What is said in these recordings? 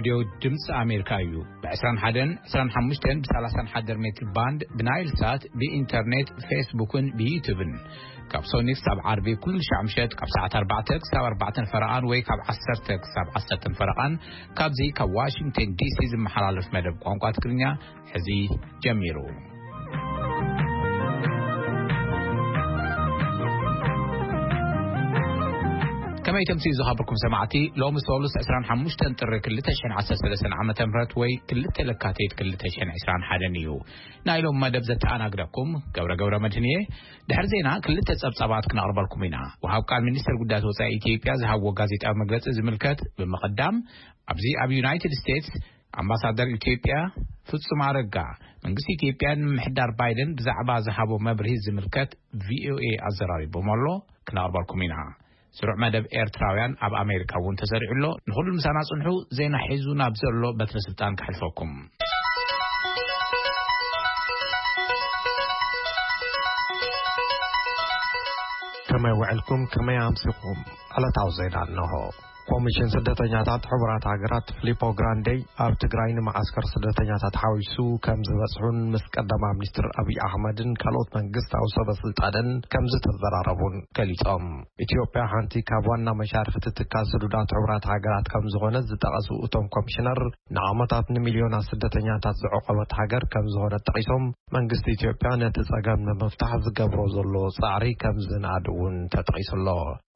ሬድዮ ድምፂ ኣሜሪካ እዩ። ብ21፣ 25፣ ብ31 ሜትር ባንድ፣ ብናይል ሳት፣ ብኢንተርኔት፣ ፌስቡክን ብዩቱብን። ካብ ሶኒ ክሳብ ዓርቢ ኩሉ ሻዕ ምሸት ካብ ሰዓት ኣርባዕተ ክሳብ ኣርባዕተን ፈረቓን ወይ ካብ ዓሰርተ ክሳብ ዓሰርተን ፈረቓን ካብዚ ካብ ዋሽንግተን ዲሲ ዝመሓላለፍ መደብ ቋንቋ ትግርኛ ሕዚ ጀሚሩ። ከመይ ተምስዩ ዝኸበርኩም ሰማዕቲ፣ ሎሚ ሶሉስ ዕስራን ሓሙሽተን ጥሪ ክልተ ሽሕን ዓሰርተ ሰለስተን ዓመተ ምህረት ወይ ክልተ ለካቲት ክልተ ሽሕን ዕስራን ሓደን እዩ። ናይ ሎም መደብ ዘተኣናግደኩም ገብረ ገብረ መድህን እየ። ድሕሪ ዜና ክልተ ጸብጻባት ክነቕርበልኩም ኢና። ወሃብ ቃል ሚኒስትር ጉዳያት ወጻኢ ኢትዮጵያ ዝሃብዎ ጋዜጣዊ መግለጺ ዝምልከት ብምቕዳም፣ ኣብዚ ኣብ ዩናይትድ ስቴትስ ኣምባሳደር ኢትዮጵያ ፍጹም ኣረጋ፣ መንግስቲ ኢትዮጵያን ምምሕዳር ባይደን ብዛዕባ ዝሃቦ መብርሂ ዝምልከት ቪኦኤ ኣዘራሪቦም ኣሎ። ክነቕርበልኩም ኢና። ስሩዕ መደብ ኤርትራውያን ኣብ ኣሜሪካ እውን ተሰሪዑ ኣሎ። ንኹሉ ምሳና ጽንሑ። ዜና ሒዙ ናብ ዘሎ በትረ ስልጣን ከሕልፈኩም። ከመይ ውዕልኩም? ከመይ ኣምሲኹም? ዕለታዊ ዜና እንሆ። ኮሚሽን ስደተኛታት ሕቡራት ሃገራት ፊሊፖ ግራንዴ ኣብ ትግራይ ንመዓስከር ስደተኛታት ሓዊሱ ከም ዝበጽሑን ምስ ቀዳማ ሚኒስትር ኣብይ ኣሕመድን ካልኦት መንግስታዊ ሰበ ስልጣንን ከም ዝተዘራረቡን ገሊጾም። ኢትዮጵያ ሓንቲ ካብ ዋና መሻርክቲ ትካል ስዱዳት ሕቡራት ሃገራት ከም ዝኾነ ዝጠቐሱ እቶም ኮሚሽነር፣ ንዓመታት ንሚልዮናት ስደተኛታት ዝዕቆበት ሃገር ከም ዝኾነት ጠቒሶም፣ መንግስቲ ኢትዮጵያ ነቲ ጸገም ንምፍታሕ ዝገብሮ ዘሎ ጻዕሪ ከም ዝንኣድ እውን ተጠቒሱ ኣሎ።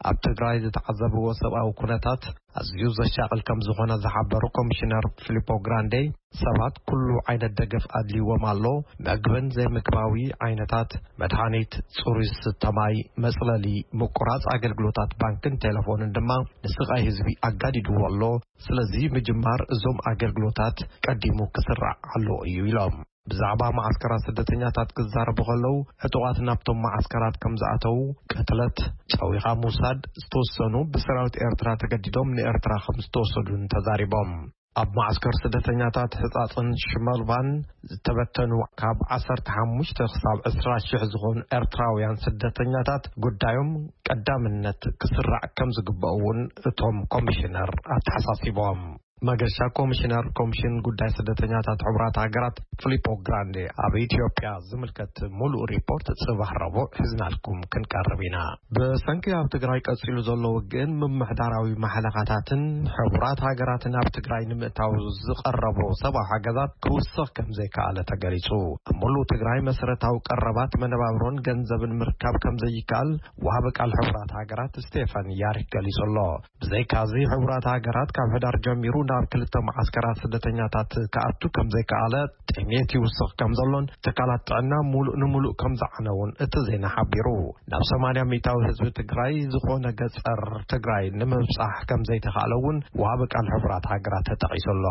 ኣብ ትግራይ ዝተዓዘብዎ ሰብኣዊ ኩነታት ኣዝዩ ዘሻቕል ከም ዝኾነ ዝሓበሩ ኮሚሽነር ፊሊፖ ግራንዴ፣ ሰባት ኩሉ ዓይነት ደገፍ ኣድልይዎም ኣሎ፣ መግብን ዘይምግባዊ ዓይነታት መድሃኒት፣ ጽሩይ ዝስተ ማይ፣ መጽለሊ፣ ምቁራጽ ኣገልግሎታት ባንክን ቴሌፎንን ድማ ንስቓይ ህዝቢ ኣጋዲድዎ ኣሎ። ስለዚ ምጅማር እዞም ኣገልግሎታት ቀዲሙ ክስራዕ ኣለዎ እዩ ኢሎም። ብዛዕባ መዓስከራት ስደተኛታት ክዛረቡ ከለዉ፣ ዕጡቓት ናብቶም መዓስከራት ከም ዝኣተዉ፣ ቅትለት፣ ጨዊኻ ምውሳድ፣ ዝተወሰኑ ብሰራዊት ኤርትራ ተገዲዶም ንኤርትራ ከም ዝተወሰዱን ተዛሪቦም። ኣብ መዓስከር ስደተኛታት ሕጻጽን ሽመልባን ዝተበተኑ ካብ ዓሰርተ ሓሙሽተ ክሳብ ዕስራ ሽሕ ዝኾኑ ኤርትራውያን ስደተኛታት ጉዳዮም ቀዳምነት ክስራዕ ከም ዝግበኦ እውን እቶም ኮሚሽነር ኣተሓሳሲቦም። መገሻ ኮሚሽነር ኮሚሽን ጉዳይ ስደተኛታት ሕቡራት ሃገራት ፊሊፖ ግራንዴ ኣብ ኢትዮጵያ ዝምልከት ሙሉእ ሪፖርት ጽባሕ ረቡዕ ሒዝናልኩም ክንቀርብ ኢና። ብሰንኪ ኣብ ትግራይ ቀጺሉ ዘሎ ውግእን ምምሕዳራዊ ማሕለኻታትን፣ ሕቡራት ሃገራትን ኣብ ትግራይ ንምእታው ዝቐረቦ ሰብኣዊ ሓገዛት ክውስኽ ከም ዘይከኣለ ተገሊጹ። ኣብ ሙሉእ ትግራይ መሰረታዊ ቀረባት መነባብሮን ገንዘብን ምርካብ ከም ዘይከኣል ወሃቢ ቃል ሕቡራት ሃገራት ስቴፋን ያሪክ ገሊጹ ኣሎ። ብዘይካዚ፣ ሕቡራት ሃገራት ካብ ሕዳር ጀሚሩ ናብ ክልተ መዓስከራት ስደተኛታት ክኣቱ ከም ዘይከኣለ፣ ጥሜት ይውስኽ ከም ዘሎን ትካላት ጥዕና ሙሉእ ንሙሉእ ከም ዝዓነውን እቲ ዜና ሓቢሩ። ናብ ሰማንያ ሚእታዊ ህዝቢ ትግራይ ዝኾነ ገጸር ትግራይ ንምብጻሕ ከም ዘይተኻእለ እውን ወሃቢ ቃል ሕቡራት ሃገራት ተጠቒሱ ኣሎ።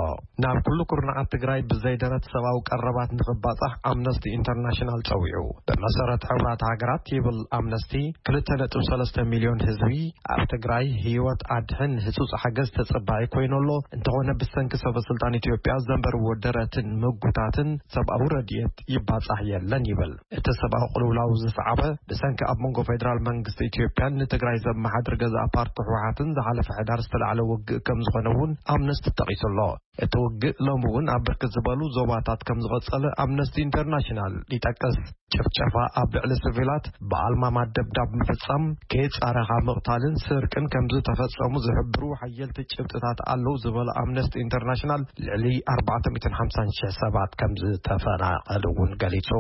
ናብ ኩሉ ኩርናዓት ትግራይ ብዘይደረት ሰብኣዊ ቀረባት ንኽባጻሕ ኣምነስቲ ኢንተርናሽናል ጸዊዑ። ብመሰረት ሕቡራት ሃገራት ይብል ኣምነስቲ፣ ክልተ ነጥቢ ሰለስተ ሚልዮን ህዝቢ ኣብ ትግራይ ህይወት ኣድሕን ህጹጽ ሓገዝ ተጸባኢ ኮይኑ ኣሎ። እንተኾነ ብሰንኪ ሰበ ስልጣን ኢትዮጵያ ዘንበርዎ ደረትን ምጉታትን ሰብኣዊ ረድኤት ይባጻሕ የለን ይብል። እቲ ሰብኣዊ ቅልውላው ዝሰዓበ ብሰንኪ ኣብ መንጎ ፌደራል መንግስቲ ኢትዮጵያን ንትግራይ ዘመሓድር ገዛእ ፓርቲ ህወሓትን ዝሓለፈ ሕዳር ዝተላዕለ ውግእ ከም ዝኾነ እውን ኣምነስቲ ጠቒሱ ኣሎ። እቲ ውግእ ሎሚ እውን ኣብ ብርክት ዝበሉ ዞባታት ከም ዝቐጸለ ኣምነስቲ ኢንተርናሽናል ይጠቅስ። ጭፍጨፋ ኣብ ልዕሊ ሲቪላት፣ ብኣልማማ ደብዳብ ምፍጻም፣ ከየጻረኻ ምቕታልን ስርቅን ከም ዝተፈጸሙ ዝሕብሩ ሓየልቲ ጭብጥታት ኣለዉ ዝበለ ኣምነስቲ ኢንተርናሽናል፣ ልዕሊ ኣርባዕተ ሚእትን ሓምሳን ሽሕ ሰባት ከም ዝተፈናቐሉ እውን ገሊጹ።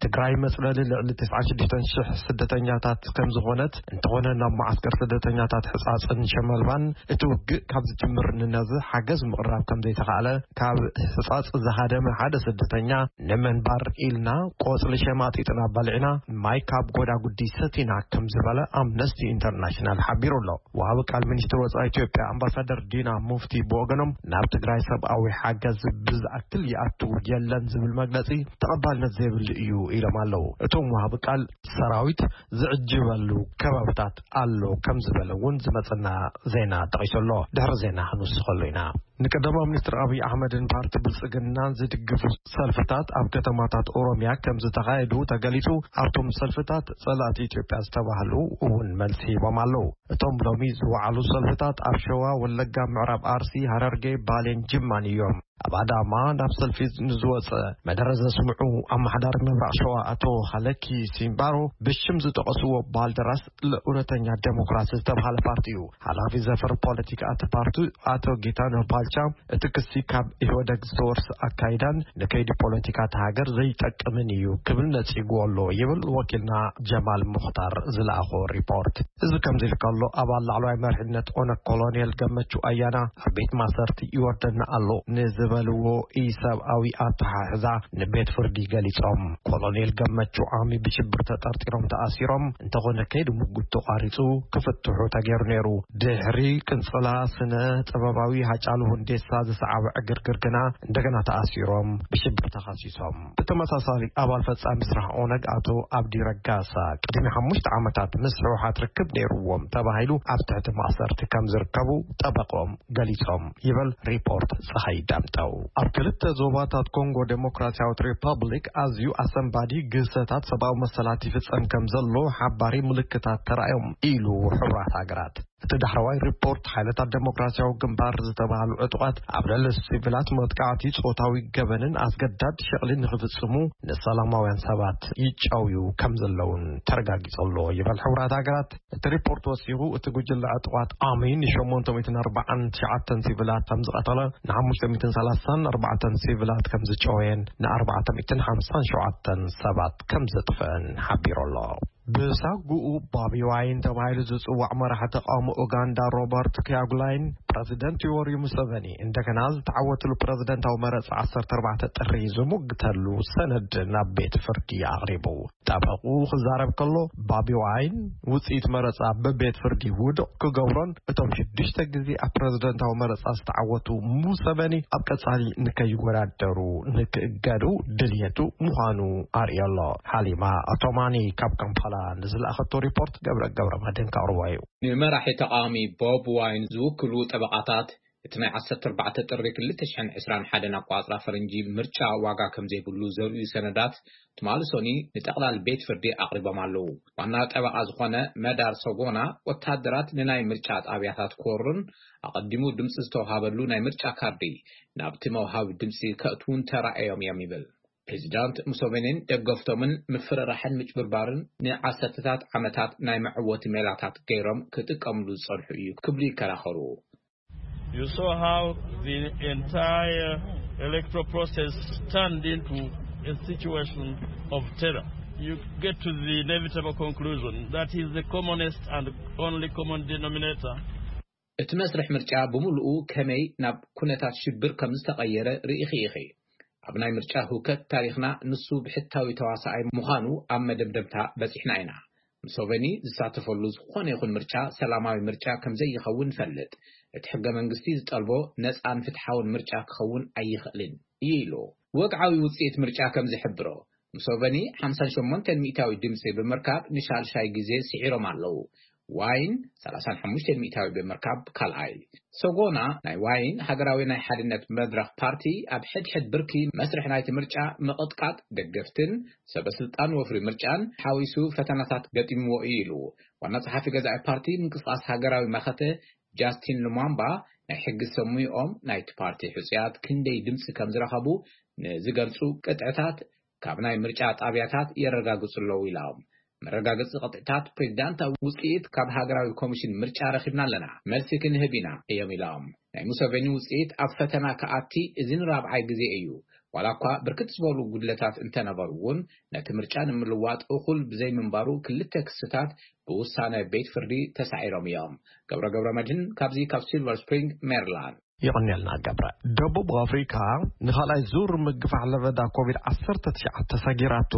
ትግራይ መጽለሊ ልዕሊ ተስዓን ሽዱሽተን ሽሕ ስደተኛታት ከም ዝኾነት፣ እንተኾነ ናብ መዓስከር ስደተኛታት ሕጻጽን ሸመልባን እቲ ውግእ ካብ ዝጅምር ንነዚ ሓገዝ ምቕራብ ከም ዘይተኻእለ፣ ካብ ሕጻጽ ዝሃደመ ሓደ ስደተኛ ንምንባር ኢልና ቆጽሊ ሸማጢጥና በሊዕና፣ ማይ ካብ ጎዳጉዲ ሰቲና ከም ዝበለ ኣምነስቲ ኢንተርናሽናል ሓቢሩ ኣሎ። ወሃቢ ቃል ሚኒስትር ወጻኢ ኢትዮጵያ ኣምባሳደር ዲና ሙፍቲ ብወገኖም፣ ናብ ትግራይ ሰብኣዊ ሓገዝ ብዝኣክል ይኣቱ የለን ዝብል መግለጺ ተቐባልነት ዘይብሉ እዩ ኢሎም ኣለዉ። እቶም ወሃቢ ቃል ሰራዊት ዝዕጅበሉ ከባብታት ኣሎ ከም ዝበለ እውን ዝመጸና ዜና ጠቒሱ ኣሎ። ድሕሪ ዜና ክንውስኸሉ ኢና። ንቀዳማዊ ሚኒስትር ኣብይ ኣሕመድን ፓርቲ ብልጽግናን ዝድግፉ ሰልፍታት ኣብ ከተማታት ኦሮሚያ ከም ዝተኻየዱ ተገሊጹ። ኣብቶም ሰልፍታት ጸላእቲ ኢትዮጵያ ዝተባህሉ እውን መልሲ ሂቦም ኣለዉ። እቶም ሎሚ ዝወዓሉ ሰልፍታት ኣብ ሸዋ፣ ወለጋ፣ ምዕራብ ኣርሲ፣ ሃረርጌ፣ ባሌን ጅማን እዮም። ኣብ ኣዳማ ናብ ሰልፊ ንዝወጸ መደረ ዘስምዑ ኣመሓዳሪ ምብራቕ ሸዋ ኣቶ ሃለኪ ሲምባሮ ብሽም ዝጠቐስዎ ባልደራስ ለእውነተኛ ዴሞክራሲ ዝተባሃለ ፓርቲ እዩ። ሓላፊ ዘፈር ፖለቲካ እቲ ፓርቲ ኣቶ ጌታነህ ባልቻ እቲ ክሲ ካብ ኢህወደግ ዝተወርሰ ኣካይዳን ንከይዲ ፖለቲካ እቲ ሃገር ዘይጠቅምን እዩ ክብል ነጺግዎ ኣሎ ይብል ወኪልና ጀማል ሙኽታር ዝለኣኾ ሪፖርት። እዚ ከምዚ ኢሉ ከሎ ኣባል ላዕለዋይ መሪሕነት ኦነግ ኮሎኔል ገመቹ ኣያና ኣብ ቤት ማሰርቲ ይወርደና ኣሎ ንዝበልዎ ኢሰብኣዊ ኣተሓሕዛ ንቤት ፍርዲ ገሊጾም። ኮሎኔል ገመቹ ዓሚ ብሽብር ተጠርጢሮም ተኣሲሮም እንተኾነ ከይዲ ምጉት ተቋሪጹ ክፍትሑ ተገይሩ ነይሩ። ድሕሪ ቅንጽላ ስነ ጥበባዊ ሃጫሉ ሁንዴሳ ዝሰዓበ ዕግርግር ግና እንደገና ተኣሲሮም ብሽብር ተኸሲሶም። ብተመሳሳሊ ኣባል ፈጻሚ ስራሕ ኦነግ ኣቶ ኣብዲ ረጋሳ ቅድሚ ሓሙሽተ ዓመታት ምስ ህወሓት ርክብ ነይርዎም ተባሂሉ ኣብ ትሕቲ ማእሰርቲ ከም ዝርከቡ ጠበቆም ገሊጾም ይብል ሪፖርት ፀሐይ ዳምጠው። ኣብ ክልተ ዞባታት ኮንጎ ዴሞክራሲያዊት ሪፐብሊክ ኣዝዩ ኣሰንባዲ ግህሰታት ሰብኣዊ መሰላት ይፍጸም ከም ዘሎ ሓባሪ ምልክታት ተራእዮም ኢሉ ሕቡራት ሃገራት። እቲ ዳሕረዋይ ሪፖርት ሓይልታት ዴሞክራሲያዊ ግንባር ዝተባህሉ ዕጡቓት ኣብ ልዕሊ ሲቪላት መጥቃዕቲ፣ ጾታዊ ገበንን ኣስገዳድ ሸቕሊ ንኽፍጽሙ ንሰላማውያን ሰባት ይጫውዩ ከም ዘለውን ተረጋጊጹ ኣሎ ይብል ሕቡራት ሃገራት። እቲ ሪፖርት ወሲኹ እቲ ጉጅለ ዕጡቓት ኣሚ ን849 ሲቪላት ከም ዝቐተለ፣ ን534 ሲቪላት ከም ዝጨወየን ን457 ሰባት ከም ዘጥፍአን ሓቢሩ ኣሎ። ብሳጉኡ ባቢ ዋይን ተባሂሉ ዝጽዋዕ መራሒ ተቃውሞ ኡጋንዳ ሮበርት ኪያጉላይን ፕረዚደንት ዮወሪ ሙሰቨኒ እንደገና ዝተዓወትሉ ፕረዚደንታዊ መረጻ 14 ጥሪ ዝሙግተሉ ሰነድ ናብ ቤት ፍርዲ ኣቕሪቡ። ጠበቁ ክዛረብ ከሎ፣ ባቢ ዋይን ውጽኢት መረጻ ብቤት ፍርዲ ውድቕ ክገብሮን እቶም ሽዱሽተ ግዜ ኣብ ፕረዚደንታዊ መረጻ ዝተዓወቱ ሙሰቨኒ ኣብ ቀጻሊ ንከይወዳደሩ ንክእገዱ ድልየቱ ምዃኑ ኣርእዮ ኣሎ። ሓሊማ ኣቶማኒ ካብ ካምፓላ ንዝለኣኸቶ ሪፖርት ገብረ ገብረ መድህን ከቕርቦ እዩ። ንመራሒ ተቃዋሚ ቦብ ዋይን ዝውክሉ ጠበቃታት፣ እቲ ናይ 14 ጥሪ 2021 ኣቋጽራ ፈረንጂ ምርጫ ዋጋ ከም ዘይብሉ ዘርእዩ ሰነዳት ትማሊ ሶኒ ንጠቕላል ቤት ፍርዲ ኣቕሪቦም ኣለዉ። ዋና ጠበቃ ዝኾነ መዳር ሶጎና፣ ወታደራት ንናይ ምርጫ ጣብያታት ክወሩን ኣቐዲሙ ድምፂ ዝተውሃበሉ ናይ ምርጫ ካርዲ ናብቲ መውሃቢ ድምፂ ከእትውን ተራእዮም እዮም ይብል። ፕሬዚዳንት ሙሶቬኒን ደገፍቶምን ምፍርራሕን ምጭብርባርን ንዓሰርተታት ዓመታት ናይ መዕወቲ ሜላታት ገይሮም ክጥቀምሉ ዝጸንሑ እዩ ክብሉ ይከራኸሩ። You saw how the entire electoral process turned into a situation of terror. You get to the inevitable conclusion that is the commonest and only common denominator. እቲ መስርሕ ምርጫ ብምሉኡ ከመይ ናብ ኩነታት ሽብር ከም ዝተቐየረ ርኢኺ ኢኺ። ኣብ ናይ ምርጫ ህውከት ታሪኽና ንሱ ብሕታዊ ተዋሳኣይ ምዃኑ ኣብ መደምደምታ በጺሕና ኢና። ሙሶቨኒ ዝሳተፈሉ ዝኾነ ይኹን ምርጫ ሰላማዊ ምርጫ ከም ዘይኸውን ንፈልጥ። እቲ ሕገ መንግስቲ ዝጠልቦ ነጻን ፍትሓውን ምርጫ ክኸውን ኣይኽእልን እዩ ኢሉ። ወግዓዊ ውጽኢት ምርጫ ከም ዝሕብሮ፣ ሙሶቨኒ ሓምሳን ሸሞንተን ሚእታዊ ድምጺ ብምርካብ ንሻልሻይ ግዜ ስዒሮም ኣለዉ። ዋይን ሰላሳን ሓሙሽተን ሚእታዊ ብምርካብ ካልኣይ። ሰጎና ናይ ዋይን ሃገራዊ ናይ ሓድነት መድረኽ ፓርቲ ኣብ ሕድሕድ ብርኪ መስርሕ ናይቲ ምርጫ ምቕጥቃጥ ደገፍትን ሰበ ስልጣን ወፍሪ ምርጫን ሓዊሱ ፈተናታት ገጢምዎ እዩ ኢሉ። ዋና ጸሓፊ ገዛኢ ፓርቲ ምንቅስቃስ ሃገራዊ መኸተ ጃስቲን ሉማምባ ናይ ሕጊ ሰሙይኦም ናይቲ ፓርቲ ሕጹያት ክንደይ ድምጺ ከም ዝረኸቡ ንዝገልጹ ቅጥዕታት ካብ ናይ ምርጫ ጣብያታት የረጋግጹ ኣለዉ ኢሎም። መረጋገጺ ቅጥዕታት ፕሬዚዳንታዊ ውጽኢት ካብ ሃገራዊ ኮሚሽን ምርጫ ረኺብና ኣለና፣ መልሲ ክንህብ ኢና እዮም ኢሎም። ናይ ሙሰቬኒ ውጽኢት ኣብ ፈተና ክኣቲ እዚ ንራብዓይ ግዜ እዩ። ዋላ እኳ ብርክት ዝበሉ ጉድለታት እንተነበሩ እውን ነቲ ምርጫ ንምልዋጥ እኹል ብዘይምንባሩ ክልተ ክስታት ብውሳነ ቤት ፍርዲ ተሳዒሮም እዮም። ገብረ ገብረ መድህን ካብዚ ካብ ሲልቨር ስፕሪንግ ሜሪላንድ። ይቕንየልና ገብረ። ደቡብ ኣፍሪካ ንኻልኣይ ዙር ምግፋሕ ለበዳ ኮቪድ ዓሰርተ ትሽዓተ ሰጊራቶ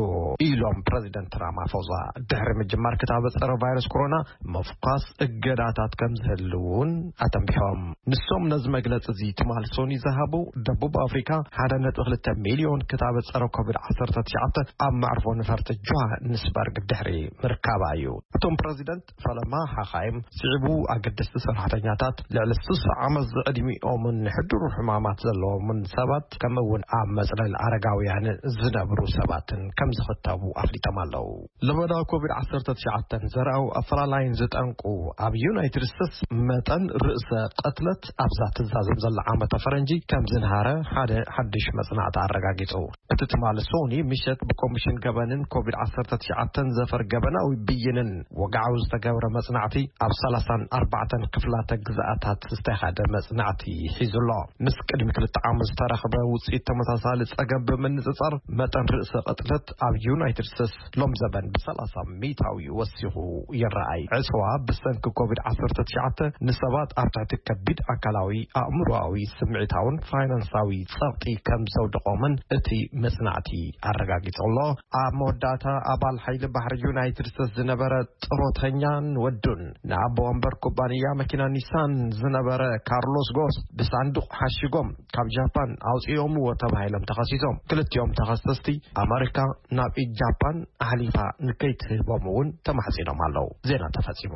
ኢሎም ፕረዚደንት ራማፎዛ። ድሕሪ ምጅማር ክታበት ጸረ ቫይረስ ኮሮና ምፍኳስ እገዳታት ከም ዝህልውን ኣተንቢሖም። ንሶም ነዚ መግለጺ እዚ ትማል ሶኒ ዝሃቡ፣ ደቡብ ኣፍሪካ ሓደ ነጥቢ ክልተ ሚልዮን ክታበት ጸረ ኮቪድ ዓሰርተ ትሽዓተ ኣብ መዕርፎ ነፈርቲ ጆሃንስበርግ ድሕሪ ምርካባ እዩ። እቶም ፕረዚደንት ፈለማ ሓኻይም ስዒቡ ኣገደስቲ ሰራሕተኛታት ልዕሊ ስሳ ዓመት ዝዕድሚኦምን ሕዱር ሕማማት ዘለዎምን ሰባት ከምኡ እውን ኣብ መጽለል ኣረጋውያን ዝነብሩ ሰባትን ከም ዝኽተቡ ኣፍሊጦም ኣለዉ። ለበዳ ኮቪድ ዓሰርተ ትሽዓተ ዘርኣዊ ኣፈላላይን ዝጠንቁ ኣብ ዩናይትድ ስቴትስ መጠን ርእሰ ቅትለት ኣብዛ ትዛዘም ዘላ ዓመተ ፈረንጂ ከም ዝንሃረ ሓደ ሓድሽ መጽናዕቲ ኣረጋጊጹ። እቲ ትማሊ ሶኒ ምሸት ብኮሚሽን ገበንን ኮቪድ ዓሰርተ ትሽዓተ ዘፈር ገበናዊ ብይንን ወግዓዊ ዝተገብረ መጽናዕቲ ኣብ ሰላሳን ኣርባዕተን ክፍላተ ግዝኣታት ዝተኻደ መጽናዕቲ ሒዙ ኣሎ። ምስ ቅድሚ ክልተ ዓመት ዝተረኽበ ውጽኢት ተመሳሳሊ ጸገም ብምንጽጻር መጠን ርእሰ ቅትለት ኣብ ዩናይትድ ስቴትስ ሎም ዘበን ብሰላሳ ሚእታዊ ወሲኹ ይረኣይ። ዕጽዋ ብሰንኪ ኮቪድ ዓሰርተ ትሽዓተ ንሰባት ኣብ ትሕቲ ከቢድ ኣካላዊ፣ ኣእምሮኣዊ፣ ስምዒታውን ፋይናንሳዊ ጸቕጢ ከም ዘውድቖምን እቲ መጽናዕቲ ኣረጋጊጹ ኣሎ። ኣብ መወዳእታ ኣባል ሓይሊ ባሕሪ ዩናይትድ ስቴትስ ዝነበረ ጥሮተኛን ወዱን ንኣቦ ወንበር ኩባንያ መኪና ኒሳን ዝነበረ ካርሎስ ጎስ ብሳንዱቕ ሓሽጎም ካብ ጃፓን ኣውጽኦምዎ ተባሂሎም ተኸሲሶም። ክልቲኦም ተኸሰስቲ ኣመሪካ ናብ ኢድ ጃፓን ኣሕሊፋ ንከይትህቦም እውን ተማሕጺኖም ኣለዉ። ዜና ተፈጺሙ።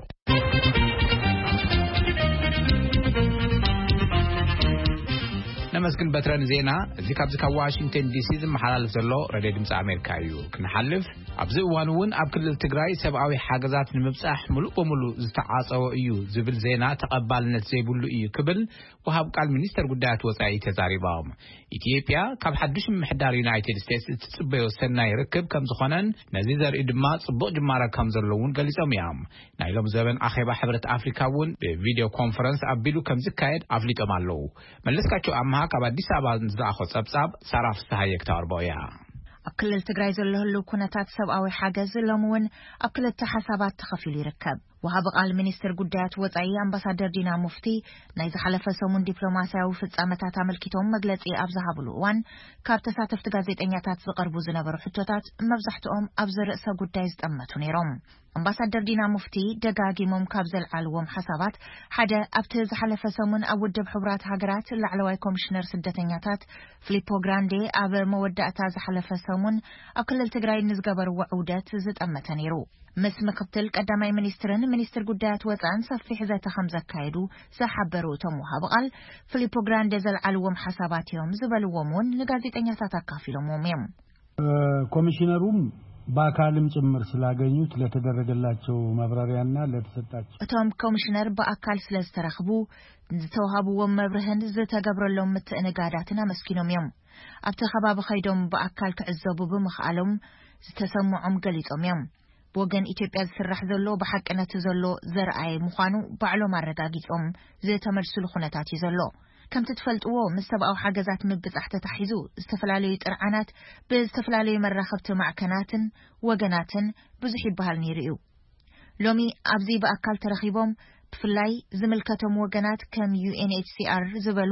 ነመስግን በትረ ንዜና እዚ ካብዚ ካብ ዋሽንግተን ዲሲ ዝመሓላለፍ ዘሎ ሬድዮ ድምፂ ኣሜሪካ እዩ። ክንሓልፍ፣ ኣብዚ እዋን እውን ኣብ ክልል ትግራይ ሰብኣዊ ሓገዛት ንምብፃሕ ሙሉእ በሙሉ ዝተዓፀወ እዩ ዝብል ዜና ተቐባልነት ዘይብሉ እዩ ክብል ወሃብ ቃል ሚኒስተር ጉዳያት ወፃኢ ተዛሪቦም። ኢትዮጵያ ካብ ሓዱሽ ምምሕዳር ዩናይትድ ስቴትስ እትፅበዮ ሰናይ ርክብ ከም ዝኾነን ነዚ ዘርኢ ድማ ፅቡቕ ጅማረ ከም ዘለውን ገሊጾም እዮም። ናይ ሎም ዘበን ኣኼባ ሕብረት ኣፍሪካ እውን ብቪድዮ ኮንፈረንስ ኣቢሉ ከም ዝካየድ ኣፍሊጦም ኣለዉ። መለስካቸው ኣምሃ ካብ ኣዲስ ኣበባ ዝለኣኾ ጸብጻብ ሳራ ፍስሃየ ክተቕርቦ እያ። ኣብ ክልል ትግራይ ዘሎ ህልው ኩነታት ሰብኣዊ ሓገዝ ሎም እውን ኣብ ክልተ ሓሳባት ተኸፊሉ ይርከብ። ወሃቢ ቃል ሚኒስትር ጉዳያት ወጻኢ ኣምባሳደር ዲና ሙፍቲ ናይ ዝሓለፈ ሰሙን ዲፕሎማስያዊ ፍጻመታት ኣመልኪቶም መግለጺ ኣብ ዝሃብሉ እዋን፣ ካብ ተሳተፍቲ ጋዜጠኛታት ዝቐርቡ ዝነበሩ ሕቶታት መብዛሕትኦም ኣብዚ ርእሰ ጉዳይ ዝጠመቱ ነይሮም። ኣምባሳደር ዲና ሙፍቲ ደጋጊሞም ካብ ዘልዓልዎም ሓሳባት ሓደ፣ ኣብቲ ዝሓለፈ ሰሙን ኣብ ውድብ ሕቡራት ሃገራት ላዕለዋይ ኮሚሽነር ስደተኛታት ፊሊፖ ግራንዴ ኣብ መወዳእታ ዝሓለፈ ሰሙን ኣብ ክልል ትግራይ ንዝገበርዎ ዑደት ዝጠመተ ነይሩ። ምስ ምክትል ቀዳማይ ሚኒስትርን ሚኒስትር ጉዳያት ወፃእን ሰፊሕ ዘተ ከም ዘካየዱ ዝሓበሩ እቶም ወሃቢ ቃል፣ ፊሊፖ ግራንዴ ዘልዓልዎም ሓሳባት እዮም ዝበልዎም እውን ንጋዜጠኛታት ኣካፊሎምዎም እዮም። ኮሚሽነሩም በአካልም ጭምር ስላገኙት ለተደረገላቸው ማብራሪያና ለተሰጣቸው እቶም ኮሚሽነር ብኣካል ስለ ዝተረኽቡ፣ ዝተዋሃብዎም መብርህን ዝተገብረሎም ምትእንጋዳትን ኣመስጊኖም እዮም። ኣብቲ ከባቢ ከይዶም ብኣካል ክዕዘቡ ብምኽኣሎም ዝተሰምዖም ገሊጾም እዮም። ብወገን ኢትዮጵያ ዝስራሕ ዘሎ ብሓቂ ነቲ ዘሎ ዘርኣየ ምዃኑ ባዕሎም ኣረጋጊጾም ዝተመልሱሉ ኩነታት እዩ ዘሎ። ከምቲ ትፈልጥዎ፣ ምስ ሰብኣዊ ሓገዛት ምብጻሕ ተታሒዙ ዝተፈላለዩ ጥርዓናት ብዝተፈላለዩ መራኸብቲ ማዕከናትን ወገናትን ብዙሕ ይበሃል ነይሩ እዩ። ሎሚ ኣብዚ ብኣካል ተረኺቦም፣ ብፍላይ ዝምልከቶም ወገናት ከም ዩ ኤን ኤች ሲ ኣር ዝበሉ፣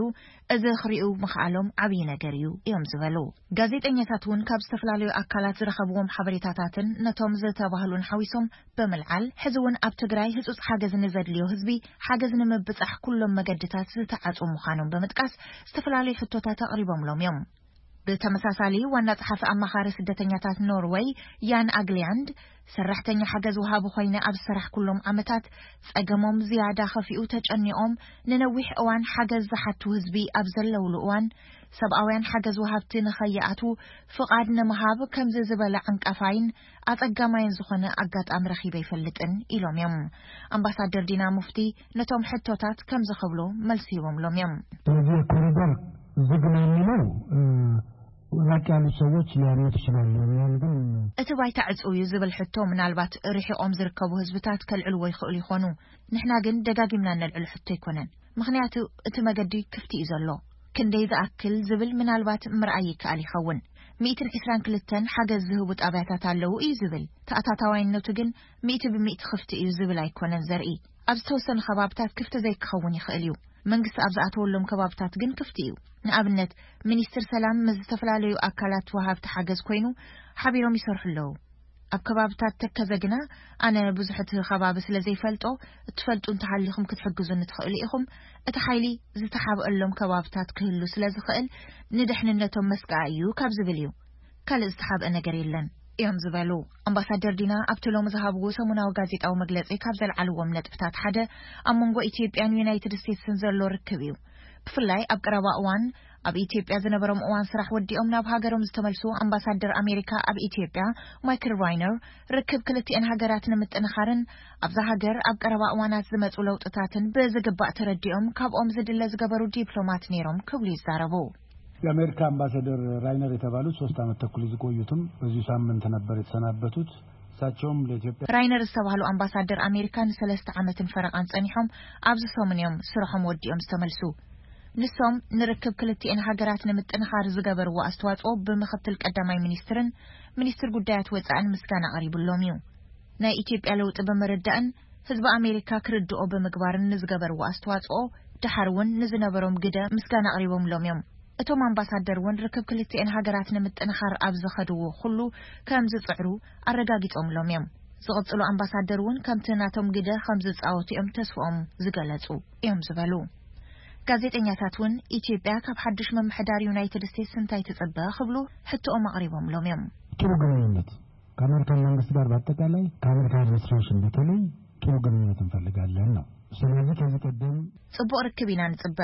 እዚ ክሪኡ ምኽኣሎም ዓብዪ ነገር እዩ እዮም ዝበሉ። ጋዜጠኛታት እውን ካብ ዝተፈላለዩ ኣካላት ዝረኸብዎም ሓበሬታታትን ነቶም ዝተባህሉን ሓዊሶም ብምልዓል፣ ሕዚ እውን ኣብ ትግራይ ህጹጽ ሓገዝ ንዘድልዮ ህዝቢ ሓገዝ ንምብጻሕ ኩሎም መገድታት ዝተዓጹ ምዃኖም ብምጥቃስ፣ ዝተፈላለዩ ሕቶታት ኣቕሪቦምሎም እዮም። ብተመሳሳሊ፣ ዋና ጸሓፊ ኣማኻሪ ስደተኛታት ኖርወይ ያን ኣግሊያንድ፣ ሰራሕተኛ ሓገዝ ወሃቢ ኮይነ ኣብ ዝሰራሕኩሎም ዓመታት፣ ጸገሞም ዝያዳ ከፊኡ፣ ተጨኒቖም ንነዊሕ እዋን ሓገዝ ዝሓቱ ህዝቢ ኣብ ዘለውሉ እዋን፣ ሰብኣውያን ሓገዝ ወሃብቲ ንኸይኣትዉ ፍቓድ ንምሃብ ከምዚ ዝበለ ዓንቃፋይን ኣጸጋማይን ዝኾነ ኣጋጣሚ ረኺበ ኣይፈልጥን ኢሎም እዮም። ኣምባሳደር ዲና ሙፍቲ ነቶም ሕቶታት ከምዚ ክብሉ መልሲ ሂቦምሎም እዮም። ስለዚህ የኮሪደር ዝግ ነው የሚለው፣ እ፣ ራቅ ያሉ ሰዎች ሊያምኑት ይችላሉ። እኛን ግን እቲ ባይታ ዕጹው እዩ ዝብል ሕቶ ምናልባት ርሒቖም ዝርከቡ ህዝብታት ከልዕልዎ ይኽእሉ ይኾኑ። ንሕና ግን ደጋጊምና ነልዕሎ ሕቶ ኣይኮነን። ምኽንያቱ እቲ መገዲ ክፍቲ እዩ ዘሎ። ክንደይ ዝኣክል ዝብል ምናልባት ምርኣይ ይከኣል ይኸውን። ሚእትን ዕስራን ክልተን ሓገዝ ዝህቡ ጣብያታት ኣለዉ እዩ ዝብል። ተኣታታዋይነቱ ግን ሚእቲ ብሚእቲ ክፍቲ እዩ ዝብል ኣይኮነን ዘርኢ። ኣብ ዝተወሰኑ ከባብታት ክፍቲ ዘይክኸውን ይኽእል እዩ። መንግስቲ ኣብ ዝኣተወሎም ከባብታት ግን ክፍቲ እዩ። ንኣብነት፣ ሚኒስትር ሰላም ምስ ዝተፈላለዩ ኣካላት ወሃብቲ ሓገዝ ኮይኑ ሓቢሮም ይሰርሑ ኣለዉ። ኣብ ከባብታት ተከዘ ግና ኣነ ብዙሕ እቲ ከባቢ ስለ ዘይፈልጦ፣ እትፈልጡ እንተሃሊኹም ክትሕግዙኒ ትኽእሉ ኢኹም። እቲ ሓይሊ ዝተሓብአሎም ከባብታት ክህሉ ስለ ዝኽእል፣ ንድሕንነቶም መስቀዓ እዩ ካብ ዝብል እዩ። ካልእ ዝተሓብአ ነገር የለን እዮም ዝበሉ ኣምባሳደር ዲና ኣብቲ ሎሚ ዝሃብዎ ሰሙናዊ ጋዜጣዊ መግለጺ። ካብ ዘልዓልዎም ነጥብታት ሓደ ኣብ መንጎ ኢትዮጵያን ዩናይትድ ስቴትስን ዘሎ ርክብ እዩ። ብፍላይ ኣብ ቀረባ እዋን ኣብ ኢትዮጵያ ዝነበሮም እዋን ስራሕ ወዲኦም ናብ ሃገሮም ዝተመልሱ ኣምባሳደር ኣሜሪካ ኣብ ኢትዮጵያ ማይክል ራይነር፣ ርክብ ክልቲኤን ሃገራት ንምጥንኻርን ኣብዛ ሃገር ኣብ ቀረባ እዋናት ዝመጹ ለውጥታትን ብዝግባእ ተረዲኦም ካብኦም ዝድለ ዝገበሩ ዲፕሎማት ነይሮም ክብሉ ይዛረቡ። የአሜሪካ አምባሳደር ራይነር የተባሉት ሶስት ዓመት ተኩል ዝቆዩትም በዚሁ ሳምንት ነበር የተሰናበቱት። እሳቸውም ለኢትዮጵያ ራይነር ዝተባህሉ ኣምባሳደር ኣሜሪካ ንሰለስተ ዓመትን ፈረቓን ጸኒሖም ኣብዚ ሰሙን እዮም ስርሖም ወዲኦም ዝተመልሱ። ንሶም ንርክብ ክልቲኤን ሃገራት ንምጥንኻር ዝገበርዎ ኣስተዋጽኦ ብምኽትል ቀዳማይ ሚኒስትርን ሚኒስትር ጉዳያት ወጻእን ምስጋና ኣቕሪብሎም እዩ። ናይ ኢትዮጵያ ለውጢ ብምርዳእን ህዝቢ ኣሜሪካ ክርድኦ ብምግባርን ንዝገበርዎ ኣስተዋጽኦ፣ ደሓር እውን ንዝነበሮም ግደ ምስጋና ኣቕሪቦምሎም እዮም። እቶም ኣምባሳደር እውን ርክብ ክልቲኤን ሃገራት ንምጥንኻር ኣብ ዝኸድዎ ኩሉ ከም ዝጽዕሩ ኣረጋጊጾምሎም እዮም። ዝቕጽሉ ኣምባሳደር እውን ከምቲ ናቶም ግደ ከም ዝጻወቱ እዮም ተስፍኦም ዝገለጹ እዮም ዝበሉ። ጋዜጠኛታት እውን ኢትዮጵያ ካብ ሓድሽ ምምሕዳር ዩናይትድ ስቴትስ እንታይ ትጽበ ክብሉ ሕቶኦም ኣቕሪቦምሎም እዮም። ጥሩ ግንኙነት ከኣሜሪካን መንግስቲ ጋር በአጠቃላይ ከአሜሪካ አድሚኒስትሬሽን በተለይ ጥሩ ግንኙነት እንፈልጋለን ነው። ስለዚህ ከዚህ ቀደም ጽቡቕ ርክብ ኢና ንጽበ።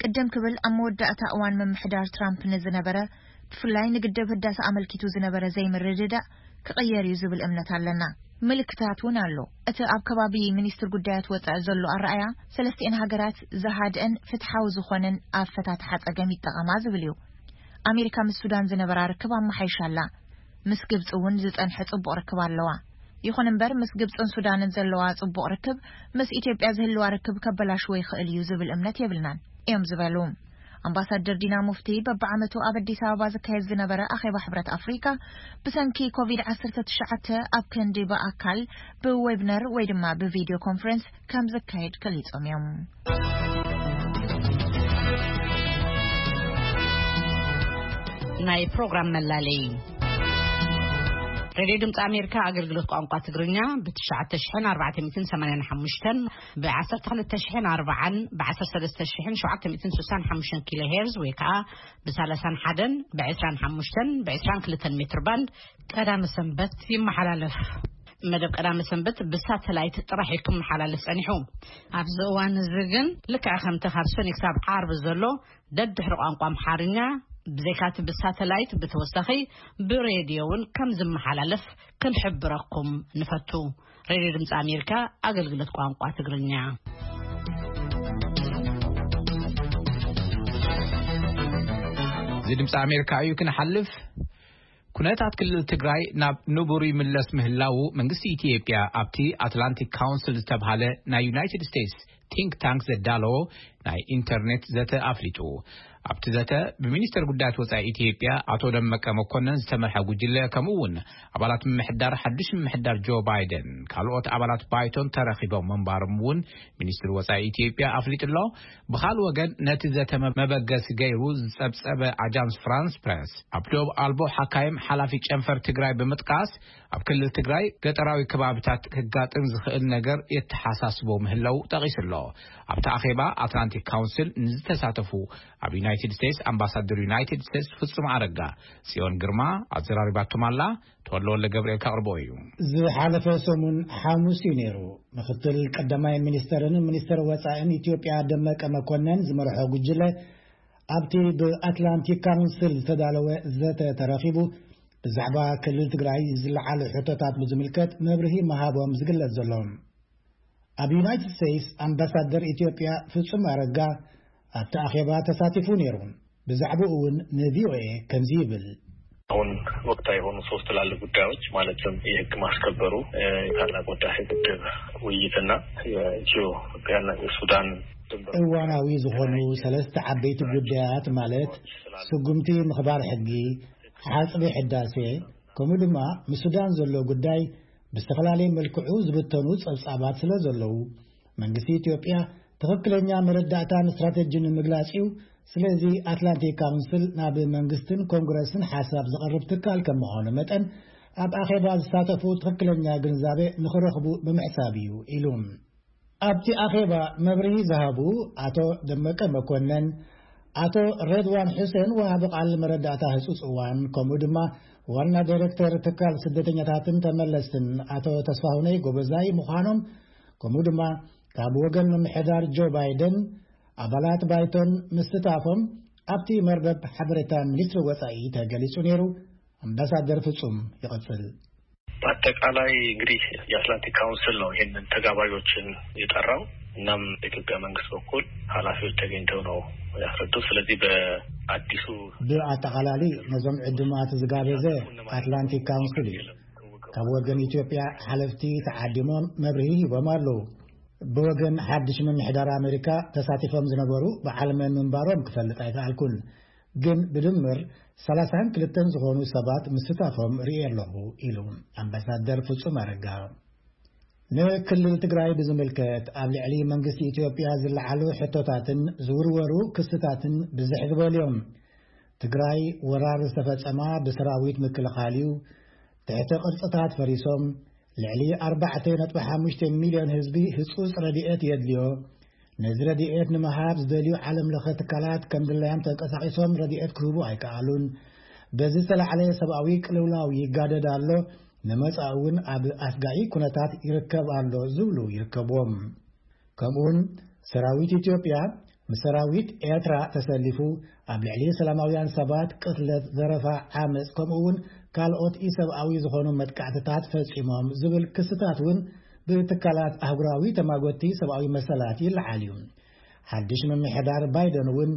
ቅድም ክብል ኣብ መወዳእታ እዋን ምምሕዳር ትራምፕ ንዝነበረ ብፍላይ ንግድብ ህዳሰ ኣመልኪቱ ዝነበረ ዘይምርድዳእ ክቕየር እዩ ዝብል እምነት ኣለና። ምልክታት እውን ኣሎ። እቲ ኣብ ከባቢ ሚኒስትር ጉዳያት ወጻኢ ዘሎ ኣረኣያ ሰለስቲኤን ሃገራት ዝሃድአን ፍትሓዊ ዝኾነን ኣፈታትሓ ጸገም ይጠቐማ ዝብል እዩ። ኣሜሪካ ምስ ሱዳን ዝነበራ ርክብ ኣመሓይሻ ኣላ። ምስ ግብጺ እውን ዝጸንሐ ጽቡቕ ርክብ ኣለዋ። ይኹን እምበር ምስ ግብጽን ሱዳንን ዘለዋ ጽቡቕ ርክብ ምስ ኢትዮጵያ ዝህልዋ ርክብ ከበላሽዎ ይኽእል እዩ ዝብል እምነት የብልናን እዮም ዝበሉ ኣምባሳደር ዲና ሙፍቲ። በብዓመቱ ኣብ ኣዲስ ኣበባ ዝካየድ ዝነበረ ኣኼባ ሕብረት ኣፍሪካ ብሰንኪ ኮቪድ ዓሰርተ ትሽዓተ ኣብ ክንዲ ብኣካል ብዌብነር ወይ ድማ ብቪድዮ ኮንፈረንስ ከም ዝካየድ ገሊጾም እዮም። ናይ ፕሮግራም መላለይ ሬድዮ ድምፂ ኣሜሪካ ኣገልግሎት ቋንቋ ትግርኛ ብ ትሽዓተ ሽሕን ኣርባዕተ ሚእትን ሰማንያን ሓሙሽተን ብ ዓሰርተ ክልተ ሽሕን ኣርባዓን ብ ዓሰርተ ሰለስተ ሽሕን ሸውዓተ ሚእትን ስሳን ሓሙሽተን ኪሎ ሄርዝ ወይ ከዓ ብ ሰላሳን ሓደን ብ ዕስራን ሓሙሽተን ብ ዕስራን ክልተን ሜትር ባንድ ቀዳመ ሰንበት ይመሓላለፍ። መደብ ቀዳመ ሰንበት ብሳተላይት ጥራሕ እዩ ክመሓላለፍ ጸኒሑ። ኣብዚ እዋን እዚ ግን ልክዕ ከምቲ ካብ ሰኒ ክሳብ ዓርቢ ዘሎ ደድሕሪ ቋንቋ ኣምሓርኛ ብዘይካቲ ብሳተላይት ብተወሳኺ ብሬድዮ እውን ከም ዝመሓላለፍ ክንሕብረኩም ንፈቱ። ሬድዮ ድምፂ ኣሜሪካ ኣገልግሎት ቋንቋ ትግርኛ። እዚ ድምፂ ኣሜሪካ እዩ። ክንሓልፍ ኩነታት ክልል ትግራይ ናብ ንቡር ይምለስ ምህላዉ መንግስቲ ኢትዮጵያ ኣብቲ ኣትላንቲክ ካውንስል ዝተብሃለ ናይ ዩናይትድ ስቴትስ ቲንክ ታንክ ዘዳለዎ ናይ ኢንተርኔት ዘተ ኣፍሊጡ። ኣብቲ ዘተ ብሚኒስተር ጉዳያት ወጻኢ ኢትዮጵያ ኣቶ ደመቀ መኮነን ዝተመርሐ ጉጅለ ከምኡ እውን ኣባላት ምምሕዳር ሓድሽ ምምሕዳር ጆ ባይደን ካልኦት ኣባላት ባይቶን ተረኺቦም ምንባሮም እውን ሚኒስትሪ ወጻኢ ኢትዮጵያ ኣፍሊጡ ኣሎ። ብኻልእ ወገን ነቲ ዘተ መበገሲ ገይሩ ዝጸብጸበ ኣጃንስ ፍራንስ ፕረስ ኣብ ዶብ ኣልቦ ሓካይም ሓላፊ ጨንፈር ትግራይ ብምጥቃስ ኣብ ክልል ትግራይ ገጠራዊ ከባብታት ክጋጥም ዝኽእል ነገር የተሓሳስቦ ምህላው ጠቒሱ ኣሎ። ኣብቲ ኣኼባ ኣትላንቲክ ካውንስል ንዝተሳተፉ ኣብ ዩናይትድ ስቴትስ ኣምባሳደር ዩናይትድ ስቴትስ ፍጹም ኣረጋ ጽዮን ግርማ ኣዘራሪባቶም ኣላ። ተወልደ ወልደ ገብርኤል ከቕርቦ እዩ። ዝሓለፈ ሰሙን ሓሙስ እዩ ነይሩ። ምክትል ቀዳማይ ሚኒስተርን ሚኒስተር ወጻእን ኢትዮጵያ ደመቀ መኮነን ዝመርሖ ጉጅለ ኣብቲ ብኣትላንቲክ ካውንስል ዝተዳለወ ዘተ ተረኺቡ ብዛዕባ ክልል ትግራይ ዝለዓሉ ሕቶታት ብዝምልከት መብርሂ ምሃቦም ዝግለጽ ዘሎ። ኣብ ዩናይትድ ስቴትስ ኣምባሳደር ኢትዮጵያ ፍጹም ኣረጋ ኣብቲ ኣኼባ ተሳቲፉ ነይሩ። ብዛዕባኡ እውን ንቪኦኤ ከምዚ ይብል። አሁን ወቅታዊ የሆኑ ሶስት ትላልቅ ጉዳዮች ማለትም የህግ ማስከበሩ፣ የታላቁ ህዳሴ ግድብ ውይይትና የኢትዮጵያና የሱዳን ድንበር እዋናዊ ዝኾኑ ሰለስተ ዓበይቲ ጉዳያት ማለት ስጉምቲ ምኽባር ሕጊ፣ ሓጽቢ ሕዳሴ ከምኡ ድማ ምስ ሱዳን ዘሎ ጉዳይ ብዝተፈላለየ መልክዑ ዝብተኑ ጸብጻባት ስለ ዘለዉ መንግስቲ ኢትዮጵያ ትኽክለኛ መረዳእታን ስትራተጂን ንምግላጽ እዩ። ስለዚ ኣትላንቲክ ካውንስል ናብ መንግስትን ኮንግረስን ሓሳብ ዘቕርብ ትካል ከም ምዃኑ መጠን፣ ኣብ ኣኼባ ዝሳተፉ ትኽክለኛ ግንዛቤ ንኽረኽቡ ብምሕሳብ እዩ ኢሉ። ኣብቲ ኣኼባ መብርሂ ዝሃቡ ኣቶ ደመቀ መኮነን፣ ኣቶ ሬድዋን ሑሴን ወሃቢ ቃል መረዳእታ ህጹጽ እዋን፣ ከምኡ ድማ ዋና ዳይሬክተር ትካል ስደተኛታትን ተመለስትን ኣቶ ተስፋሁነይ ጎበዛይ ምዃኖም፣ ከምኡ ድማ ካብ ወገን ምምሕዳር ጆ ባይደን ኣባላት ባይቶን ምስታፎም ኣብቲ መርበብ ሓበሬታ ሚኒስትሪ ወጻኢ ተገሊጹ ነይሩ። ኣምባሳደር ፍጹም ይቐጽል። በአጠቃላይ እንግዲህ የአትላንቲክ ካውንስል ነው ይህንን ተጋባዦችን የጠራው። እናም በኢትዮጵያ መንግስት በኩል ኃላፊዎች ተገኝተው ነው ያስረዱት። ስለዚህ በአዲሱ ብኣጠቓላሊ ነዞም ዕድማት ዝጋበዘ ኣትላንቲክ ካውንስል እዩ። ካብ ወገን ኢትዮጵያ ሓለፍቲ ተዓዲሞም መብርሂ ሂቦም ኣለዉ። ብወገን ሓድሽ ምምሕዳር ኣሜሪካ ተሳቲፎም ዝነበሩ በዓል መን ምንባሮም ክፈልጥ ኣይከኣልኩን። ግን ብድምር ሰላሳን ክልተን ዝኾኑ ሰባት ምስታፎም ርእየ ኣለኹ ኢሉ ኣምባሳደር ፍጹም ኣረጋ። ንክልል ትግራይ ብዝምልከት ኣብ ልዕሊ መንግስቲ ኢትዮጵያ ዝለዓሉ ሕቶታትን ዝውርወሩ ክስታትን ብዝሕ ዝበሉ እዮም። ትግራይ ወራር ዝተፈጸማ ብሰራዊት ምክልኻል እዩ። ትሕቲ ቅርጽታት ፈሪሶም፣ ልዕሊ ኣርባዕተ ነጥቢ ሓሙሽተ ሚልዮን ህዝቢ ህጹጽ ረድኤት የድልዮ። ነዚ ረድኤት ንምሃብ ዝደልዩ ዓለም ለኸ ትካላት ከም ድላዮም ተንቀሳቒሶም ረድኤት ክህቡ ኣይከኣሉን። በዚ ዝተላዕለ ሰብኣዊ ቅልውላው ይጋደድ ኣሎ። ንመጻኢ እውን ኣብ ኣስጋኢ ኩነታት ይርከብ ኣሎ ዝብሉ ይርከብዎም። ከምኡውን ሰራዊት ኢትዮጵያ ምስ ሰራዊት ኤርትራ ተሰሊፉ ኣብ ልዕሊ ሰላማውያን ሰባት ቅትለት፣ ዘረፋ፣ ዓመጽ ከምኡ እውን ካልኦት ኢሰብኣዊ ዝኾኑ መጥቃዕትታት ፈጺሞም ዝብል ክስታት እውን ብትካላት ኣህጉራዊ ተማጎቲ ሰብኣዊ መሰላት ይለዓል እዩ። ሓድሽ ምምሕዳር ባይደን እውን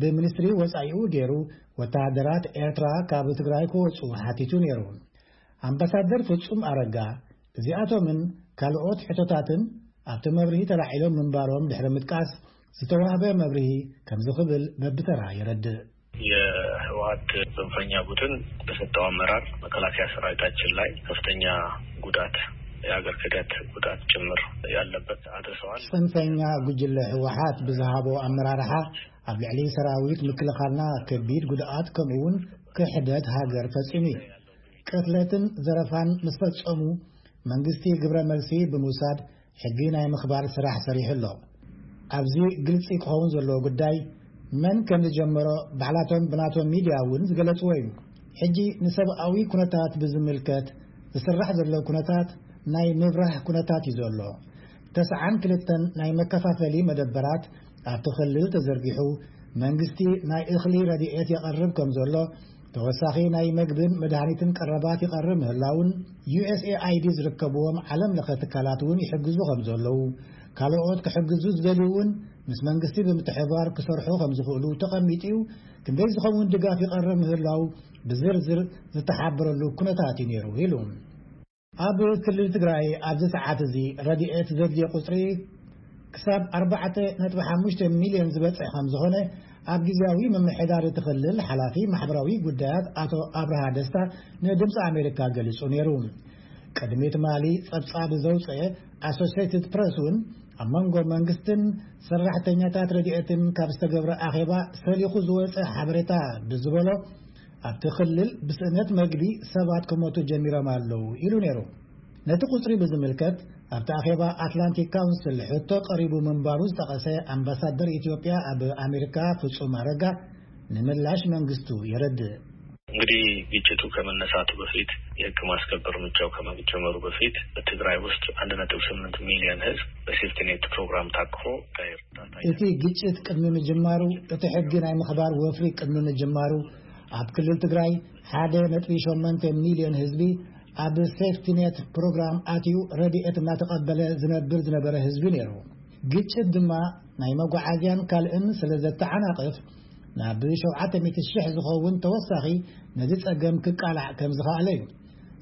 ብሚኒስትሪ ወጻኢኡ ገይሩ ወተሃደራት ኤርትራ ካብ ትግራይ ክወጹ ሓቲቱ ነይሩ። ኣምባሳደር ፍጹም ኣረጋ እዚኣቶምን ካልኦት ሕቶታትን ኣብቲ መብርሂ ተላዒሎም ምንባሮም ድሕሪ ምጥቃስ፣ ዝተዋህበ መብርሂ ከምዚ ክብል በብተራ የረድእ። የህወሓት ጽንፈኛ ቡድን በሰጠው አመራር መከላከያ ሰራዊታችን ላይ ከፍተኛ ጉዳት፣ የሀገር ክህደት ጉዳት ጭምር ያለበት አድርሰዋል። ጽንፈኛ ጉጅለ ህወሓት ብዝሃቦ ኣመራርሓ ኣብ ልዕሊ ሰራዊት ምክልኻልና ከቢድ ጉድኣት ከምኡ እውን ክሕደት ሃገር ፈጺሙ እዩ። ቅትለትን ዘረፋን ምስ ፈጸሙ መንግስቲ ግብረ መልሲ ብምውሳድ ሕጊ ናይ ምኽባር ስራሕ ሰሪሑ ኣሎ። ኣብዚ ግልጺ ክኸውን ዘለዎ ጉዳይ መን ከም ዝጀመሮ ባዕላቶም ብናቶም ሚድያ እውን ዝገለጽዎ እዩ። ሕጂ ንሰብኣዊ ኩነታት ብዝምልከት ዝስራሕ ዘሎ ኩነታት ናይ ምብራህ ኩነታት እዩ ዘሎ። ተስዓን ክልተን ናይ መከፋፈሊ መደበራት ኣብቲ ክልል ተዘርጊሑ መንግስቲ ናይ እኽሊ ረድኤት የቐርብ ከም ዘሎ፣ ተወሳኺ ናይ መግብን መድሃኒትን ቀረባት ይቐርብ ምህላውን፣ ዩኤስኤኣይዲ ዝርከብዎም ዓለም ለኸ ትካላት እውን ይሕግዙ ከም ዘለዉ፣ ካልኦት ክሕግዙ ዝደልዩ እውን ምስ መንግስቲ ብምትሕባር ክሰርሑ ከም ዝኽእሉ ተቐሚጡ እዩ። ክንደይ ዝኸውን ድጋፍ ይቐርብ ምህላው ብዝርዝር ዝተሓበረሉ ኩነታት እዩ ነይሩ ኢሉ። ኣብ ክልል ትግራይ ኣብዚ ሰዓት እዚ ረድኤት ዘድልዮ ቁጽሪ ክሳብ ኣርባዕተ ነጥቢ ሓሙሽተ ሚልዮን ዝበጽሕ ከም ዝኾነ ኣብ ግዝያዊ ምምሕዳር እቲ ክልል ሓላፊ ማሕበራዊ ጉዳያት ኣቶ ኣብርሃ ደስታ ንድምፂ ኣሜሪካ ገሊጹ ነይሩ። ቅድሚ ትማሊ ጸብጻብ ዘውፅአ ኣሶሲየትድ ፕረስ እውን ኣብ መንጎ መንግስትን ሰራሕተኛታት ረድኤትን ካብ ዝተገብረ ኣኼባ ሰሊኹ ዝወፀ ሓበሬታ ብዝበሎ ኣብቲ ክልል ብስእነት መግቢ ሰባት ክሞቱ ጀሚሮም ኣለዉ ኢሉ ነይሩ። ነቲ ቁጽሪ ብዝምልከት ኣብቲ ኣኼባ ኣትላንቲክ ካውንስል ሕቶ ቀሪቡ ምንባሩ ዝጠቐሰ ኣምባሳደር ኢትዮጵያ ኣብ ኣሜሪካ ፍጹም ኣረጋ ንምላሽ መንግስቱ የረድእ። እንግዲህ ግጭቱ ከመነሳቱ በፊት፣ የህግ ማስከበር እርምጃው ከመጀመሩ በፊት በትግራይ ውስጥ አንድ ነጥብ ስምንት ሚሊዮን ህዝብ በሴፍቲኔት ፕሮግራም ታቅፎ እርዳታ እቲ ግጭት ቅድሚ ምጅማሩ፣ እቲ ሕጊ ናይ ምኽባር ወፍሪ ቅድሚ ምጅማሩ ኣብ ክልል ትግራይ ሓደ ነጥቢ ሸሞንተ ሚሊዮን ህዝቢ ኣብ ሴፍቲኔት ፕሮግራም ኣትዩ ረድኤት እናተቐበለ ዝነብር ዝነበረ ህዝቢ ነይሩ። ግጭት ድማ ናይ መጓዓዝያን ካልእን ስለ ዘተዓናቕፍ ናብ ሸውዓተ ሚእቲ ሽሕ ዝኸውን ተወሳኺ ነዚ ጸገም ክቃላዕ ከም ዝኸኣለ እዩ።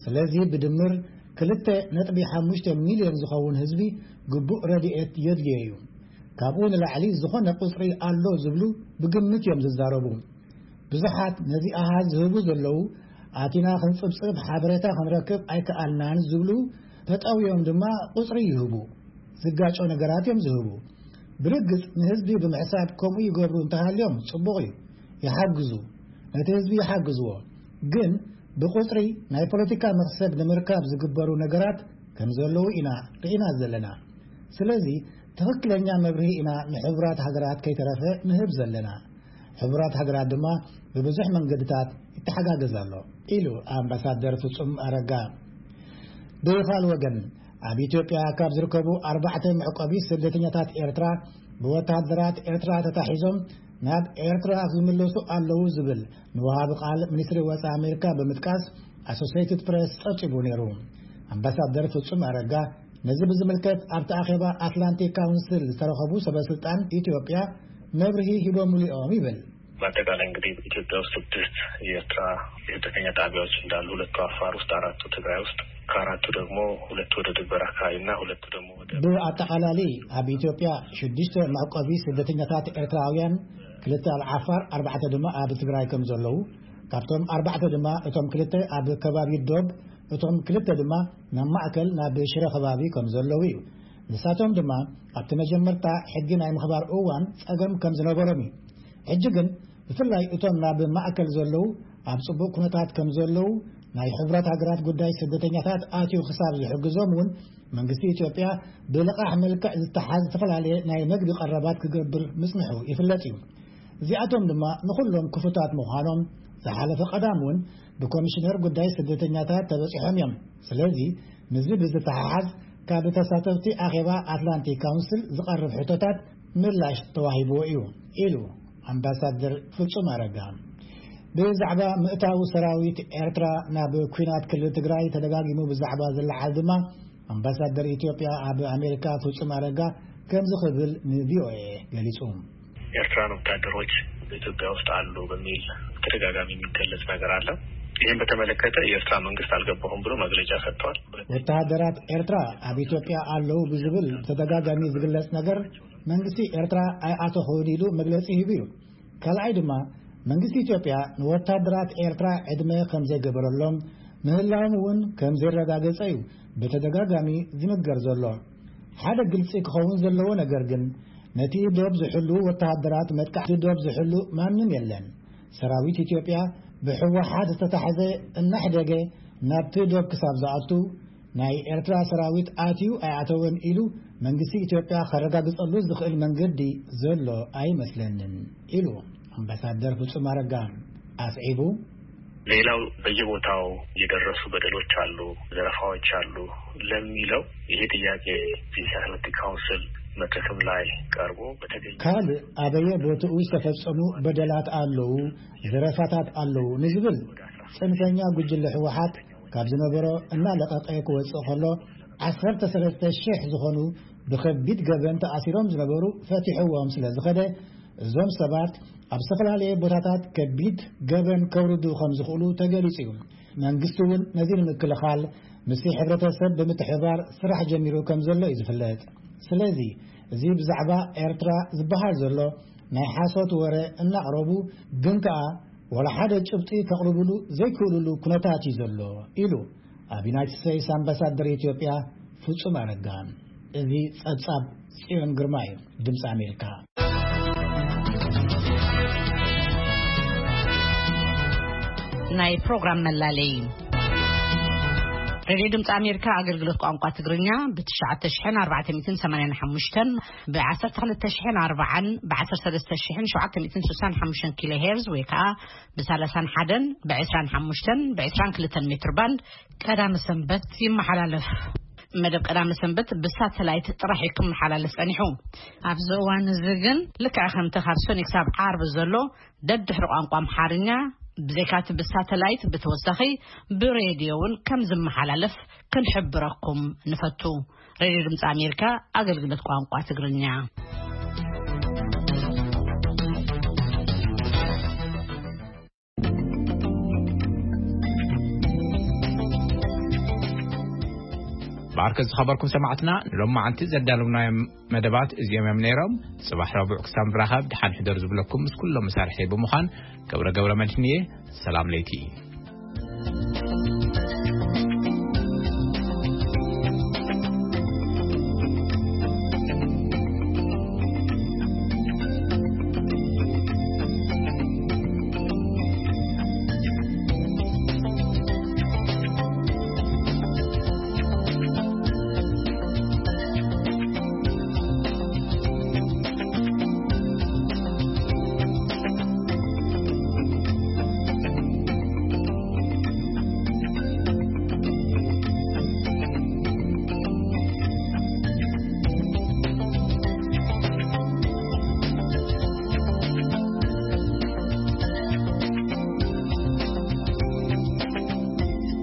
ስለዚ ብድምር ክልተ ነጥቢ ሓሙሽተ ሚልዮን ዝኸውን ህዝቢ ግቡእ ረድኤት የድልዮ እዩ። ካብኡ ንላዕሊ ዝኾነ ቁጽሪ ኣሎ ዝብሉ ብግምት እዮም ዝዛረቡ። ብዙሓት ነዚ ኣሃዝ ዝህቡ ዘለዉ ኣቲና ክንጽብጽብ ሓበሬታ ክንረክብ ኣይከኣልናን ዝብሉ ተጠውዮም ድማ ቁጽሪ ይህቡ። ዝጋጮ ነገራት እዮም ዝህቡ። ብርግጽ ንህዝቢ ብምሕሳብ ከምኡ ይገብሩ እንተሃልዮም ጽቡቕ እዩ፣ ይሓግዙ፣ ነቲ ህዝቢ ይሓግዝዎ። ግን ብቁጽሪ ናይ ፖለቲካ መኽሰብ ንምርካብ ዝግበሩ ነገራት ከም ዘለዉ ኢና ርኢና ዘለና። ስለዚ ትኽክለኛ መብርሂ ኢና ንሕቡራት ሃገራት ከይተረፈ ንህብ ዘለና። ሕቡራት ሃገራት ድማ ብብዙሕ መንገድታት ይተሓጋገዝ ኣሎ፣ ኢሉ ኣምባሳደር ፍጹም ኣረጋ። ብኻል ወገን፣ ኣብ ኢትዮጵያ ካብ ዝርከቡ ኣርባዕተ መዕቆቢ ስደተኛታት ኤርትራ ብወታደራት ኤርትራ ተታሒዞም ናብ ኤርትራ ዝምለሱ ኣለዉ ዝብል ንወሃቢ ቃል ሚኒስትሪ ወጻኢ ኣሜሪካ ብምጥቃስ ኣሶሲየትድ ፕሬስ ጸብጺቡ ነይሩ። ኣምባሳደር ፍጹም ኣረጋ ነዚ ብዝምልከት ኣብቲ ኣኼባ ኣትላንቲክ ካውንስል ዝተረኸቡ ሰበ ስልጣን ኢትዮጵያ መብርሂ ሂቦምሉ እዮም ይብል። በአጠቃላይ እንግዲህ ኢትዮጵያ ውስጥ ስድስት የኤርትራ የስደተኛ ጣቢያዎች እንዳሉ፣ ሁለቱ አፋር ውስጥ፣ አራቱ ትግራይ ውስጥ፣ ከአራቱ ደግሞ ሁለቱ ወደ ድንበር አካባቢና ሁለቱ ደግሞ ወደ ብኣጠቓላሊ ኣብ ኢትዮጵያ ሽዱሽተ መዕቆቢ ስደተኛታት ኤርትራውያን፣ ክልተ ኣብ ዓፋር፣ ኣርባዕተ ድማ ኣብ ትግራይ ከም ዘለዉ፣ ካብቶም ኣርባዕተ ድማ እቶም ክልተ ኣብ ከባቢ ዶብ፣ እቶም ክልተ ድማ ናብ ማእከል ናብ ሽረ ከባቢ ከም ዘለዉ እዩ። ንሳቶም ድማ ኣብቲ መጀመርታ ሕጊ ናይ ምኽባር እዋን ጸገም ከም ዝነበሮም እዩ። ሕጂ ግን ብፍላይ እቶም ናብ ማእከል ዘለዉ ኣብ ጽቡቕ ኩነታት ከም ዘለዉ፣ ናይ ሕብረት ሃገራት ጉዳይ ስደተኛታት ኣትዩ ክሳብ ዝሕግዞም እውን መንግስቲ ኢትዮጵያ ብልቓሕ መልክዕ ዝተሓዝ ዝተፈላለየ ናይ መግቢ ቀረባት ክገብር ምጽንሑ ይፍለጥ እዩ። እዚኣቶም ድማ ንኹሎም ክፉታት ምዃኖም ዝሓለፈ ቀዳም እውን ብኮሚሽነር ጉዳይ ስደተኛታት ተበጺሖም እዮም። ስለዚ ምስዚ ብዝተሓሓዝ ካብ ተሳተፍቲ ኣኼባ ኣትላንቲክ ካውንስል ዝቐርብ ሕቶታት ምላሽ ተዋሂብዎ እዩ፣ ኢሉ ኣምባሳደር ፍጹም ኣረጋ። ብዛዕባ ምእታው ሰራዊት ኤርትራ ናብ ኲናት ክልል ትግራይ ተደጋጊሙ ብዛዕባ ዝለዓል ድማ ኣምባሳደር ኢትዮጵያ ኣብ ኣሜሪካ ፍጹም ኣረጋ ከምዚ ክብል ንቪኦኤ ገሊጹ። ኤርትራን ወታደሮች በኢትዮጵያ ውስጥ አሉ በሚል ተደጋጋሚ የሚገለጽ ነገር አለ። ይህን በተመለከተ የኤርትራ መንግስት አልገባሁም ብሎ መግለጫ ሰጥቷል። ወታደራት ኤርትራ ኣብ ኢትዮጵያ ኣለዉ ብዝብል ብተደጋጋሚ ዝግለጽ ነገር መንግስቲ ኤርትራ ኣይኣተኹን ኢሉ መግለጺ ሂቡ እዩ። ካልኣይ ድማ መንግስቲ ኢትዮጵያ ንወታደራት ኤርትራ ዕድመ ከም ዘይገበረሎም ምህላዎም እውን ከም ዘረጋገጸ እዩ ብተደጋጋሚ ዝንገር ዘሎ። ሓደ ግልጺ ክኸውን ዘለዎ ነገር ግን ነቲ ዶብ ዝሕሉ ወታደራት መጥቃዕቲ ዶብ ዝሕሉ ማንም የለን። ሰራዊት ኢትዮጵያ ብህወሓት ዝተታሕዘ እናሕደገ ናብቲ ዶብ ክሳብ ዝኣቱ ናይ ኤርትራ ሰራዊት ኣትዩ ኣይኣተወን ኢሉ መንግስቲ ኢትዮጵያ ከረጋግጸሉ ዝኽእል መንገዲ ዘሎ ኣይመስለንን ኢሉ ኣምባሳደር ፍጹም ኣረጋ ኣስዒቡ። ሌላው በየቦታው የደረሱ በደሎች አሉ፣ ዘረፋዎች አሉ ለሚለው ይሄ ጥያቄ የሴኩሪቲ ካውንስል መድረክም ላይ ቀርቦ በተገኘ ካልእ ኣበየ ቦትኡ ዝተፈጸሙ በደላት ኣለዉ፣ ዘረፋታት ኣለዉ ንዝብል ጽንፈኛ ጉጅለ ህወሓት ካብ ዝነበሮ እናለቐቐ ክወጽእ ከሎ ዓሰርተ ሰለስተ ሽሕ ዝኾኑ ብኸቢድ ገበን ተኣሲሮም ዝነበሩ ፈቲሕዎም ስለ ዝኸደ እዞም ሰባት ኣብ ዝተፈላለየ ቦታታት ከቢድ ገበን ከውርዱ ከም ዝኽእሉ ተገሊጹ እዩ። መንግስቲ እውን ነዚ ንምክልኻል ምስቲ ሕብረተሰብ ብምትሕብባር ስራሕ ጀሚሩ ከም ዘሎ እዩ ዝፍለጥ። ስለዚ እዚ ብዛዕባ ኤርትራ ዝበሃል ዘሎ ናይ ሓሶት ወረ እናቕረቡ ግን ከኣ ወላ ሓደ ጭብጢ ከቕርብሉ ዘይክእልሉ ኩነታት እዩ ዘሎ ኢሉ ኣብ ዩናይትድ ስቴትስ ኣምባሳደር ኢትዮጵያ ፍጹም ኣረጋ። እዚ ጸብጻብ ጽዮን ግርማ እዩ፣ ድምፂ ኣሜሪካ። ናይ ፕሮግራም መላለይ። ሬድዮ ድምፂ ኣሜሪካ ኣገልግሎት ቋንቋ ትግርኛ ብ ትሽዓተ ሽሕን ኣርባዕተ ሚእትን ሰማንያን ሓሙሽተን፣ ብ ዓሰርተ ክልተ ሽሕን ኣርባዓን፣ ብ ዓሰርተ ሰለስተ ሽሕን ሸውዓተ ሚእትን ስሳን ሓሙሽተን ኪሎ ሄርዝ ወይ ከዓ ብ ሰላሳን ሓደን፣ ብ ዕስራን ሓሙሽተን፣ ብ ዕስራን ክልተን ሜትር ባንድ ቀዳመ ሰንበት ይመሓላለፍ። መደብ ቀዳመ ሰንበት ብሳተላይት ጥራሕ እዩ ክመሓላለፍ ጸኒሑ። ኣብዚ እዋን እዚ ግን ልክዕ ከምቲ ካብ ሰኑይ ክሳብ ዓርቢ ዘሎ ደድሕሪ ቋንቋ ኣምሓርኛ ብዘይካቲ ብሳተላይት ብተወሳኺ ብሬድዮ እውን ከም ዝመሓላለፍ ክንሕብረኩም ንፈቱ። ሬድዮ ድምፂ ኣሜሪካ ኣገልግሎት ቋንቋ ትግርኛ። ብዓርከ ዝኸበርኩም ሰማዕትና፣ ንሎማዓንቲ ዘዳለውናዮም መደባት እዚኦም እዮም ነይሮም። ጽባሕ ረቡዕ ክሳብ ንራኸብ፣ ደሓን ሕደሩ ዝብለኩም ምስ ኩሎም መሳርሒ ብምዃን፣ ገብረ ገብረ መድህን እየ። ሰላም ለይቲ።